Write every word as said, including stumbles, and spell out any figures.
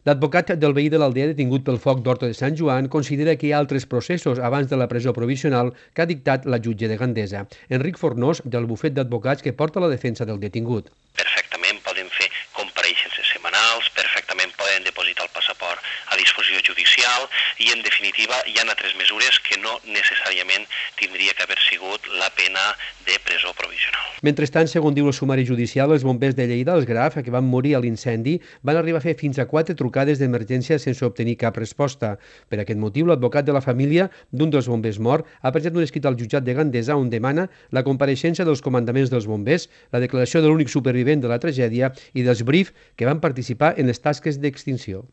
L'advocat del veí de l'aldea detingut pel foc d'Horta de Sant Joan considera que hi ha altres processos abans de la presó provisional que ha dictat la jutge de Gandesa. Enric Fornós, del bufet d'advocats que porta la defensa del detingut. Perfectament poden fer compareixences setmanals, perfectament poden depositar el passaport a disposició judicial i, en definitiva, hi ha altres mesures que no necessàriament tindria que haver sigut la pena de presó provisional. Mentrestant, segons diu el sumari judicial, els bombers de Lleida, els Graf, que van morir a l'incendi, van arribar a fer fins a quatre trucades d'emergència sense obtenir cap resposta. Per aquest motiu, l'advocat de la família d'un dels bombers mort ha presentat un escrit al jutjat de Gandesa on demana la compareixença dels comandaments dels bombers, la declaració de l'únic supervivent de la tragèdia i dels B R I F que van participar en les tasques d'extinció.